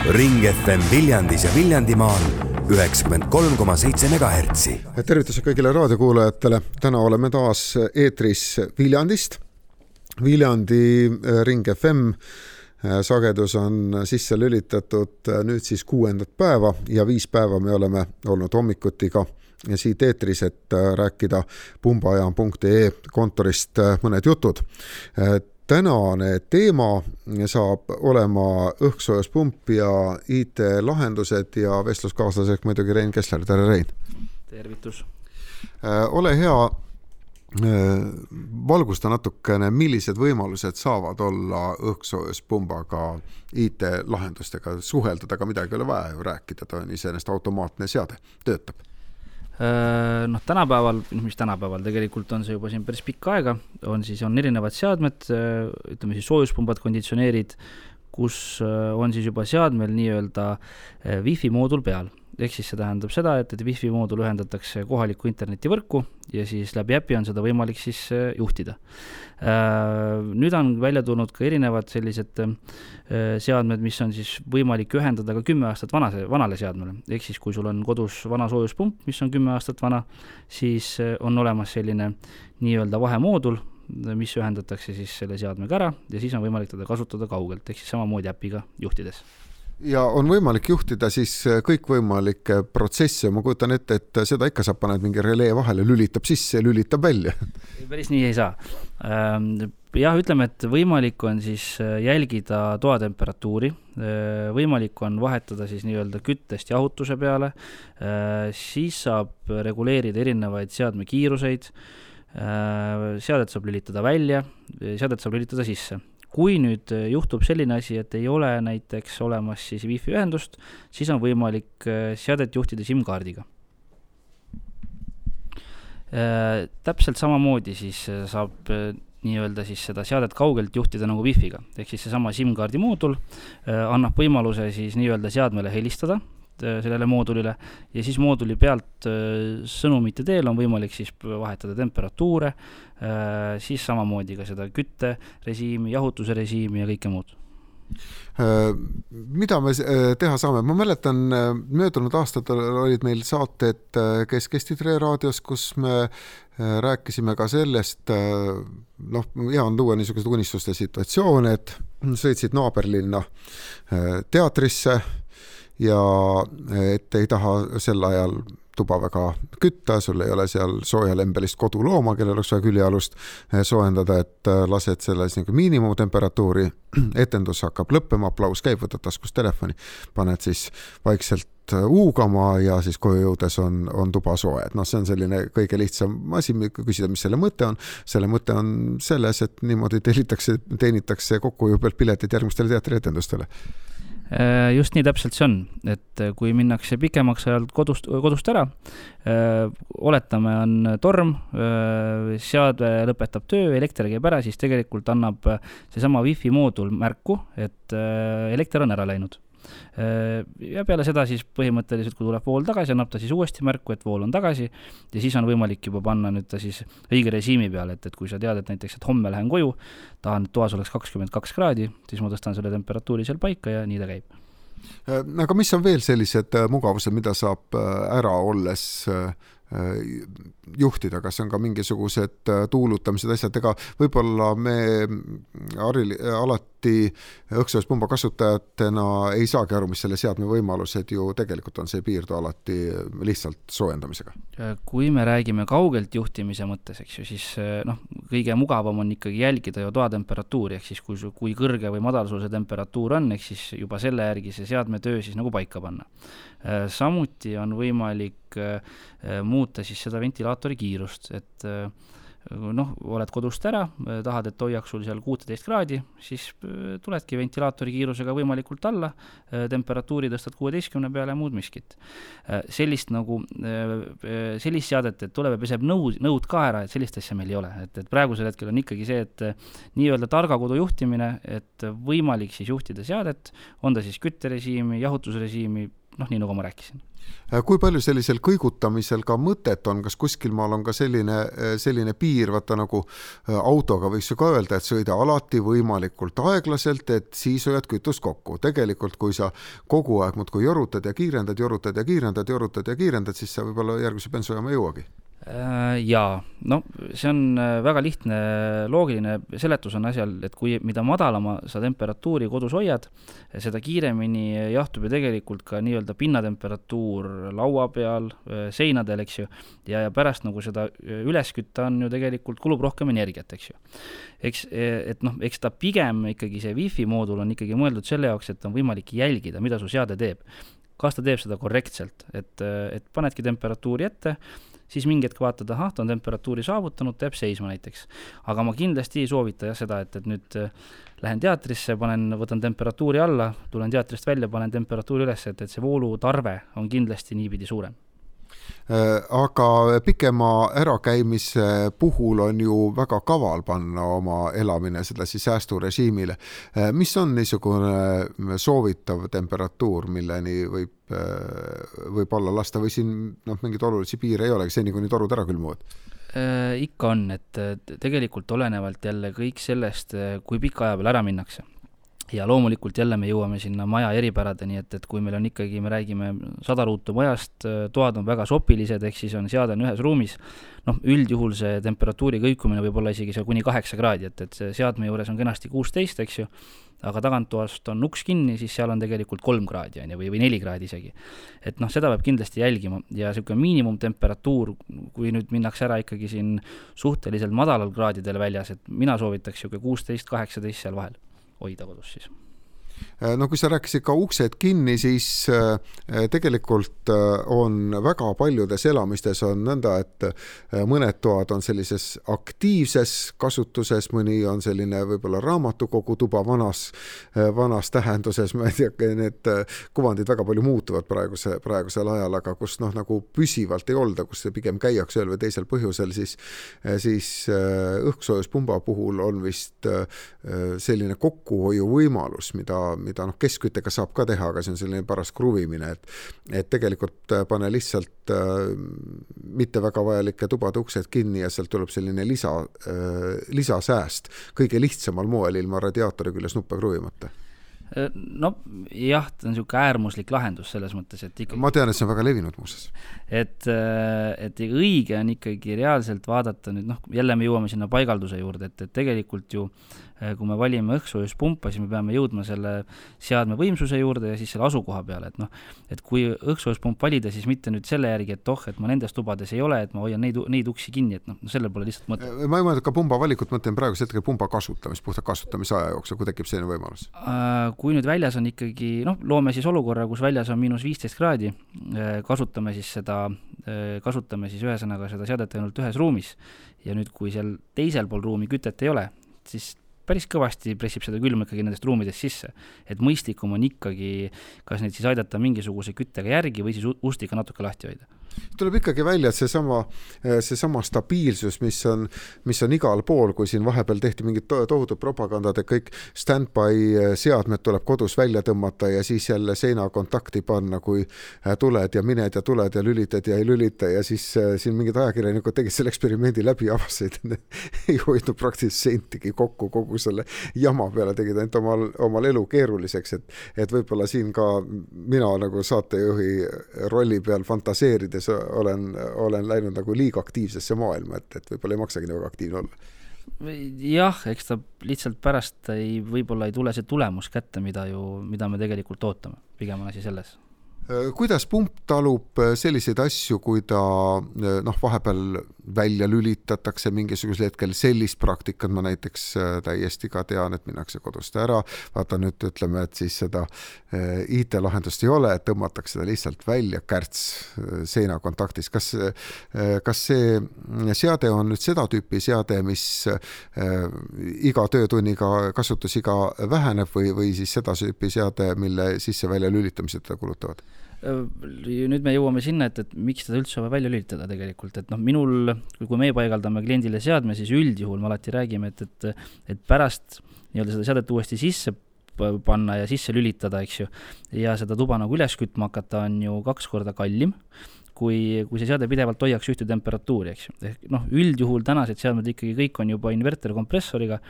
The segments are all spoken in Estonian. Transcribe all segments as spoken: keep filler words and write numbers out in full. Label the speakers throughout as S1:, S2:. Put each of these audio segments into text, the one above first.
S1: Ring F M Viljandis ja Viljandimaal üheksakümmend kolm koma seitse megahertsi.
S2: Tervitused kõigile raadiokuulajatele. Täna oleme taas eetris Viljandist. Viljandi Ring F M sagedus on sisse lülitatud nüüd siis kuuendat päeva ja viis päeva me oleme olnud hommikutiga ja siit eetris, et rääkida pumbajaam punkt ee kontorist mõned jutud. Tänane teema saab olema õhksoojuspump ja I T-lahendused ja vestluskaaslaseks muidugi Rein Kessler. Tere, Rein!
S3: Tervitus!
S2: Ole hea, valgusta natukene, millised võimalused saavad olla õhksoojuspumbaga I T-lahendustega. Suheldada ka midagi ei ole vaja ju rääkida, ta on iseenesest automaatne seade, töötab.
S3: Noh, tänapäeval, mis tänapäeval tegelikult on see juba siin päris pikka aega, on siis on erinevad seadmed, ütleme siis soojuspumbad, konditsioneerid, kus on siis juba seadmel nii-öelda Wi-Fi moodul peal. Ehk siis see tähendab seda, et, et Wi-Fi moodul ühendatakse kohaliku internetivõrku ja siis läbi äpi on seda võimalik siis juhtida. Nüüd on välja tulnud ka erinevad sellised seadmed, mis on siis võimalik ühendada ka kümme aastat vanase, vanale seadmele. Ehk siis kui sul on kodus vana soojuspump, mis on kümme aastat vana, siis on olemas selline nii-öelda vahemoodul, mis ühendatakse siis selle seadmega ära ja siis on võimalik teda kasutada kaugelt, ehk siis samamoodi äpiga juhtides.
S2: Ja on võimalik juhtida siis kõikvõimalikke protsesse. Ma kujutan ette, et seda ikka saab paned mingi relee vahele, lülitab sisse ja lülitab välja.
S3: Päris nii ei saa. Jah, ütleme, et võimalik on siis jälgida toatemperatuuri, võimalik on vahetada siis nii-öelda küttest jahutuse peale, siis saab reguleerida erinevaid seadme kiiruseid, seadet saab lülitada välja, seadet saab lülitada sisse. Kui nüüd juhtub selline asi, et ei ole näiteks olemas siis Wi-Fi ühendust, siis on võimalik seadet juhtida SIM-kaardiga. Täpselt samamoodi siis saab nii-öelda siis seda seadet kaugelt juhtida nagu Wi-Figa. Ehk siis see sama SIM-kaardi moodul annab võimaluse siis nii-öelda seadmele helistada sellele moodulile ja siis mooduli pealt sõnumite teel on võimalik siis vahetada temperatuure, siis samamoodi ka seda kütterežiimi, jahutuse režiimi ja kõike muud.
S2: Mida me teha saame? Ma mäletan, möödunud aastad olid meil saated, kes kestid Re raadios, kus me rääkisime ka sellest, noh, hea on tuua niisugused unistuste situatsioone, et sõitsid naaberlinna teatrisse ja et ei taha sel ajal tuba väga kütta, sul ei ole seal soojalembelist kodulooma, kellel oleks vaja küljealust soojendada, et lased selles nagu miinimumtemperatuuri, etendus hakkab lõppema, aplaus käib, võtad taskust telefoni, paned siis vaikselt uugama ja siis koju jõudes on, on tuba soe. No see on selline kõige lihtsam asi, küsida, mis selle mõte on. Selle mõte on selles, et niimoodi teenitakse, teenitakse kokku ju pealt piletid järgmistele teatrietendustele.
S3: Just nii täpselt see on, et kui minnakse pikemaks ajalt kodust, kodust ära, oletame on torm, seade lõpetab töö, elekter käib ära, siis tegelikult annab seesama Wi-Fi moodul märku, et elekter on ära läinud. Ja peale seda siis põhimõtteliselt, kui tuleb vool tagasi, annab ta siis uuesti märku, et vool on tagasi ja siis on võimalik juba panna nüüd ta siis õige režiimi peale, et, et kui sa tead, et näiteks, et homme lähen koju, tahan, et toas oleks kakskümmend kaks kraadi, siis ma tõstan selle temperatuuri seal paika ja nii ta käib.
S2: Aga mis on veel sellised mugavused, mida saab ära olles juhtida, kas on ka mingisugused tuulutamised asjad, ega võib-olla me alati õhksoojuspumba kasutajatena ei saagi aru, mis selle seadme võimalused ju tegelikult on, see piirdu alati lihtsalt soojendamisega.
S3: Kui me räägime kaugelt juhtimise mõttes, eks ju, siis noh, kõige mugavam on ikkagi jälgida ju toatemperatuuri, ehk siis kui, kui kõrge või madal sul see temperatuur on, ehk siis juba selle järgi see seadme töö siis nagu paika panna. Samuti on võimalik muuta siis seda ventilaatori kiirust, et noh, oled kodust ära, tahad, et hoiaks sul seal kuusteist kraadi, siis tuledki ventilaatori kiirusega võimalikult alla, temperatuuri tõstad kuueteistkümne peale ja muud miskit. Sellist nagu, sellist seadet, et tuleb ja peseb nõud, nõud ka ära, et sellist asja meil ei ole. Et, et praegusel hetkel on ikkagi see, et nii-öelda targa kodu juhtimine, et võimalik siis juhtida seadet, on ta siis kütterežiimi, jahutusrežiimi, noh, nii nagu ma rääkisin.
S2: Kui palju sellisel kõigutamisel ka mõtet on, kas kuskil maal on ka selline, selline piir, vaata nagu autoga võiks ju ka öelda, et sõida alati võimalikult aeglaselt, et siis hoiad kütust kokku. Tegelikult, kui sa kogu aeg muudkui jorutad ja kiirendad, jorutad ja kiirendad, jorutad ja kiirendad, siis sa võib-olla järgmise bensujaama ei jõuagi.
S3: Jaa, no see on väga lihtne, loogiline seletus on asjal, et kui mida madalama sa temperatuuri kodus hoiad, seda kiiremini jahtub ju tegelikult ka nii-öelda pinnatemperatuur laua peal, seinadel, eks ju, ja, ja pärast nagu seda üles kütta on ju tegelikult kulub rohkem energiat, eks ju. Eks, et noh, eks ta pigem ikkagi see Wi-Fi moodul on ikkagi mõeldud selle jaoks, et on võimalik jälgida, mida su seade teeb. Kas ta teeb seda korrektselt, et, et panedki temperatuuri ette, siis mingi hetk vaatad, ahah, ta on temperatuuri saavutanud, teeb seisma näiteks. Aga ma kindlasti ei soovita jah seda, et, et nüüd lähen teatrisse, panen, võtan temperatuuri alla, tulen teatrist välja, panen temperatuuri üles, et, et see voolutarve on kindlasti niipidi suurem.
S2: Aga pikema ärakäimise puhul on ju väga kaval panna oma elamine seda siis säästurežiimile. Mis on niisugune soovitav temperatuur, milleni võib, võib olla lasta või siin noh, mingid olulisi piire ei ole, seni kuni torud ära külmuvad?
S3: Ikka on, et tegelikult olenevalt jälle kõik sellest, kui pika aja peal ära minnakse. Ja loomulikult jälle me jõuame sinna maja eripäradeni, et, et kui meil on ikkagi, me räägime sada ruutu majast, toad on väga sopilised, ehk siis on seade on ühes ruumis, noh, üldjuhul see temperatuuri kõikumine võib olla isegi seal kuni kaheksa kraadi, et, et see seadme juures on kenasti kuusteist, eks ju, aga taganttoast on uks kinni, siis seal on tegelikult kolm kraadi on, või, või neli kraadi isegi. Et noh, seda peab kindlasti jälgima ja selline miinimumtemperatuur, kui nüüd minnakse ära ikkagi siin suhteliselt madalal kraadidel väljas, et mina soovitaks selline kuusteist kaheksateist seal vahel hoida kodus siis.
S2: No kui sa rääkisid ka uksed kinni, siis tegelikult on väga paljudes elamistes on nõnda, et mõned toad on sellises aktiivses kasutuses, mõni on selline võib-olla raamatukogu tuba vanas, vanas tähenduses, ma ei tea, need kuvandid väga palju muutuvad praeguse, praegusel ajal, aga kus noh, nagu püsivalt ei olda, kus pigem käiakse ühel või teisel põhjusel, siis, siis õhksoojuspumba puhul on vist selline kokkuhoiu võimalus, mida mida noh, keskküttega saab ka teha, aga see on selline paras kruvimine, et, et tegelikult pane lihtsalt äh, mitte väga vajalike tubade uksed kinni ja sealt tuleb selline lisa, äh, lisasääst kõige lihtsamal moel ilma radiaatori küljes nuppe kruvimata.
S3: No jah, ta on selline äärmuslik lahendus selles mõttes, et ikkagi...
S2: Ma tean, et see on väga levinud muuses.
S3: Et, et õige on ikkagi reaalselt vaadata nüüd, noh, jälle me jõuame sinna paigalduse juurde, et, et tegelikult ju kui me valime õhksoojuspumpa, siis me peame jõudma selle seadme võimsuse juurde ja siis selle asukoha peale, et noh, et kui õhksoojuspump valida, siis mitte nüüd selle järgi, et oh, et ma nendes tubades ei ole, et ma hoian neid, neid uksi kinni, et noh, selle pole lihtsalt mõte.
S2: Ma ei mõelda ka pumba valikut, mõtlen praegu hetkel pumba kasutamist, puhta kasutamise aja jooksul, kui tekib selline võimalus.
S3: Kui nüüd väljas on ikkagi, noh, loome siis olukorra, kus väljas on miinus viisteist kraadi, kasutame siis seda, kasutame siis ühesõnaga seda seadet ainult ühes ruumis ja nüüd, kui seal teisel pool ruumi kütet ei ole, siis päris kõvasti pressib seda külma ikkagi nendest ruumidest sisse. Et mõistlikum on ikkagi, kas neid siis aidata mingisuguse küttega järgi või siis ustiga natuke lahti hoida.
S2: Tuleb ikkagi välja, et see sama, see sama stabiilsus, mis on, mis on igal pool, kui siin vahepeal tehti mingid tohutud propagandad, et kõik stand-by seadmed tuleb kodus välja tõmmata ja siis jälle seina kontakti panna, kui tuled ja mined ja tuled ja lülitad ja ei lülita ja siis siin mingid ajakirjanikud tegid selle eksperimendi läbi avasid, ei hoidnud praktiliselt sentigi kokku kogu selle jama peale, tegid ainult omal, omal elu keeruliseks, et, et võib-olla siin ka mina nagu saatejuhi rolli peal fantaseerides olen, olen läinud nagu liiga aktiivsesse maailma, et, et võib-olla ei maksagi väga aktiivne olla.
S3: Jah, eks ta lihtsalt pärast ei, võib-olla ei tule see tulemus kätte, mida, ju, mida me tegelikult ootame. Pigem on asi selles.
S2: Kuidas pump talub selliseid asju, kui ta noh, vahepeal välja lülitatakse mingisugusel hetkel, sellist praktikat ma näiteks täiesti ka tean, et minnakse kodust ära, vaata nüüd ütleme, et siis seda I T-lahendust ei ole, et tõmmatakse seda lihtsalt välja kärts seina kontaktis. Kas, kas see seade on nüüd seda tüüpi seade, mis iga töötunniga kasutusiga väheneb või, või siis seda tüüpi seade, mille sisse välja lülitamised kulutavad?
S3: Nüüd me jõuame sinna, et, et miks seda üldse välja lülitada tegelikult, et noh, minul, kui me paigaldame kliendile seadme, siis üldjuhul me alati räägime, et, et, et pärast nii-öelda seda seadet uuesti sisse panna ja sisse lülitada, eks ju, ja seda tuba nagu üles kütma hakata on ju kaks korda kallim, kui, kui see seade pidevalt hoiaks ühte temperatuuri, eks ju. Ehk noh, üldjuhul tänased seadmed ikkagi kõik on juba inverterkompressoriga,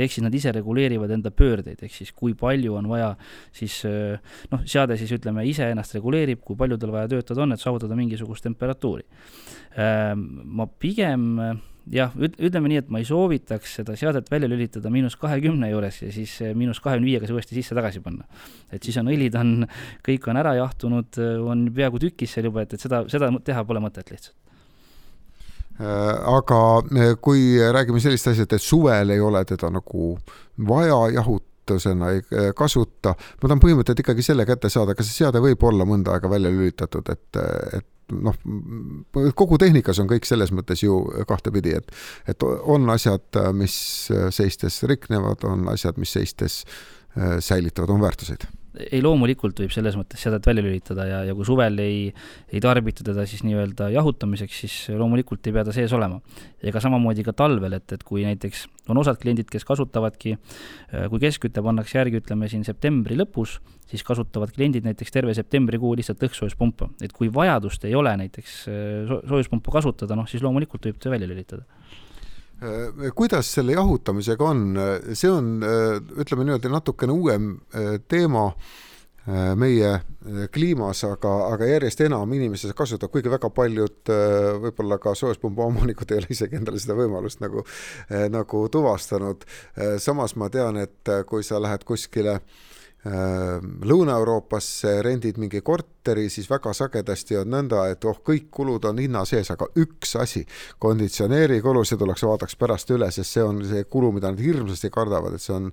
S3: ehk siis nad ise reguleerivad enda pöördeid, ehk siis kui palju on vaja, siis noh, seade siis ütleme ise ennast reguleerib, kui palju tal vaja töötada on, et saavutada mingisugust temperatuuri. Ma pigem jah, ütleme nii, et ma ei soovitaks seda seadet välja lülitada miinus kahekümne juures ja siis miinus kahekümne viiega see uuesti sisse tagasi panna. Et siis on õlid, on, kõik on ära jahtunud, on peaaegu tükis seal juba, et, et seda, seda teha pole mõtet lihtsalt.
S2: Aga kui räägime sellist asjad, et suvel ei ole teda nagu vaja jahutusena ei kasuta, ma tahan põhimõtteliselt ikkagi selle kätte saada, kas see seade võib olla mõnda aega välja lülitatud, et, et noh, kogu tehnikas on kõik selles mõttes ju kahtepidi, et, et on asjad, mis seistes riknevad, on asjad, mis seistes säilitavad, on väärtuseid.
S3: Ei, loomulikult võib selles mõttes seadet välja lülitada ja, ja kui suvel ei, ei tarbita teda siis nii-öelda jahutamiseks, siis loomulikult ei pea ta sees olema. Ega samamoodi ka talvel, et, et kui näiteks on osad kliendid, kes kasutavadki, kui keskkütte pannakse järgi, ütleme siin septembri lõpus, siis kasutavad kliendid näiteks terve septembrikuu lihtsalt õhksoojuspumpa. Et kui vajadust ei ole näiteks soojuspumpa kasutada, noh, siis loomulikult võib ta välja lülitada.
S2: Kuidas selle jahutamisega on? See on, ütleme niimoodi, natukene uuem teema meie kliimas, aga, aga järjest enam inimesed kasutab, kuigi väga paljud võib-olla ka soojuspumba omanikud ei ole isegi endale seda võimalust nagu, nagu tuvastanud. Samas ma tean, et kui sa lähed kuskile Lõuna-Euroopasse, rendid mingi korteri, siis väga sagedasti on nõnda, et oh, kõik kulud on hinna sees, aga üks asi, konditsioneeri kulu, see tuleks vaadaks pärast üle, sest see on see kulu, mida nad hirmsasti kardavad, et see on,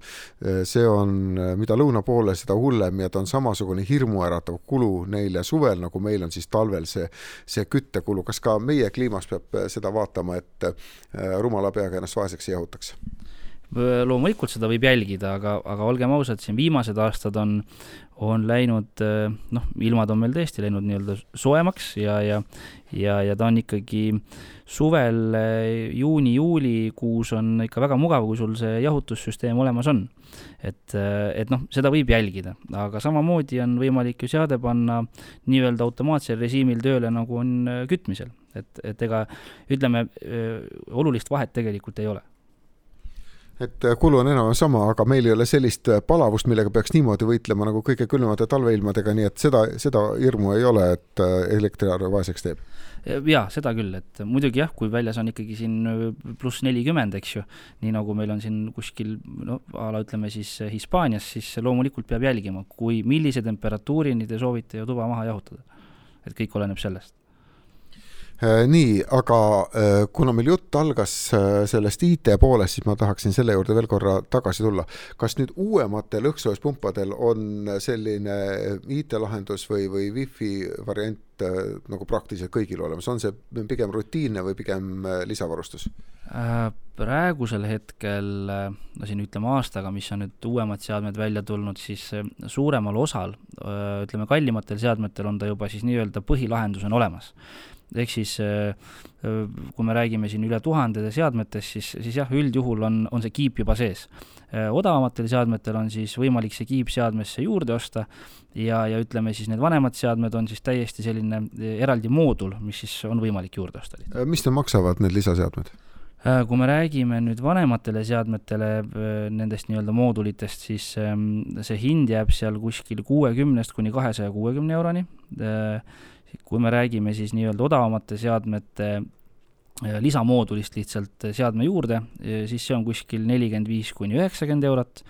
S2: see on mida lõuna poole, seda hullem ja ta on samasugune hirmuäratav kulu neile suvel, nagu meil on siis talvel see, see küttekulu. Kas ka meie kliimas peab seda vaatama, et rumala peaga ennast vaeseks ei jahutaks?
S3: Loomulikult seda võib jälgida, aga, aga olgem ausad, siin viimased aastad on, on läinud, noh, ilmad on meil tõesti läinud nii-öelda soemaks ja, ja, ja, ja ta on ikkagi suvel, juuni, juuli kuus on ikka väga mugav, kui sul see jahutussüsteem olemas on. Et, et noh, seda võib jälgida, aga samamoodi on võimalik ju seade panna nii-öelda automaatsel režiimil tööle, nagu on kütmisel. Et, et ega, ütleme, olulist vahet tegelikult ei ole.
S2: Et kulu on enam sama, aga meil ei ole sellist palavust, millega peaks niimoodi võitlema nagu kõige külmade talveilmadega, nii et seda, seda hirmu ei ole, et elektriarve vaeseks teeb.
S3: Jaa, seda küll, et muidugi jah, kui väljas on ikkagi siin pluss nelikümmend, eks ju, nii nagu meil on siin kuskil, no, ala ütleme siis Hispaanias, siis loomulikult peab jälgima, kui millise temperatuurini te soovite ju tuba maha jahutada. Et kõik oleneb sellest.
S2: Nii, aga kuna meil jutt algas sellest I T poolest, siis ma tahaksin selle juurde veel korra tagasi tulla. Kas nüüd uuematel õhksoojuspumpadel on selline I T-lahendus või, või Wi-Fi variant nagu praktiliselt kõigil olemas? On see pigem rutiinne või pigem lisavarustus?
S3: Praegusel hetkel, no siin ütleme aastaga, mis on nüüd uuemad seadmed välja tulnud, siis suuremal osal, ütleme kallimatel seadmetel on ta juba siis nii-öelda põhilahendus on olemas. Ehk siis, kui me räägime siin üle tuhandede seadmetest, siis, siis jah, üldjuhul on, on see kiip juba sees. Odavamatel seadmetel on siis võimalik see kiip seadmesse juurde osta ja, ja ütleme siis need vanemad seadmed on siis täiesti selline eraldi moodul, mis siis on võimalik juurde osta.
S2: Mis te maksavad need lisaseadmed?
S3: Kui me räägime nüüd vanematele seadmetele nendest nii-öelda moodulitest, siis see hind jääb seal kuskil kuuekümnest kuni kahesaja kuuekümne euroni. Kui me räägime siis nii-öelda odavamate seadmete lisamoodulist lihtsalt seadme juurde, siis see on kuskil nelikümmend viis kuni üheksakümmend eurot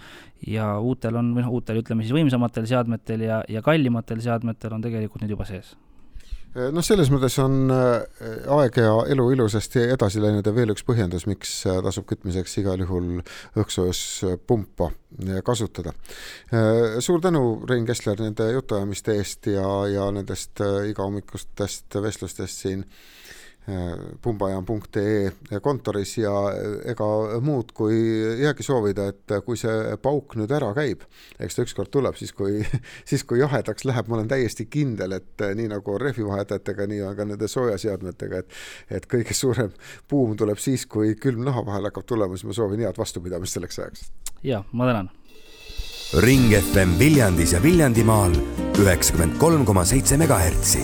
S3: ja uutel on, või uutel ütleme siis võimsamatel seadmetel ja, ja kallimatel seadmetel on tegelikult nüüd juba sees.
S2: No selles mõttes on aeg ja elu ilusasti edasi läinud ja veel üks põhjendus, miks tasub kütmiseks igal juhul õhksoojuspumpa kasutada. Suur tänu, Rein Kessler, nende jutuajamiste eest ja, ja nendest igahommikustest vestlustest siin pumbajam punkt ee kontoris ja ega muud kui jäägi soovida, et kui see pauk nüüd ära käib, eks ta ükskord tuleb, siis kui, siis kui jahedaks läheb, ma olen täiesti kindel, et nii nagu rehvivahetajatega, nii on ka nende soojaseadmetega, et, et kõige suurem buum tuleb siis, kui külm naha vahel hakkab tulema, siis ma soovin head vastupidamist selleks ajaks.
S3: Ja, ma tänan.
S1: Ring F M Viljandis ja Viljandimaal üheksakümmend kolm koma seitse megahertsi.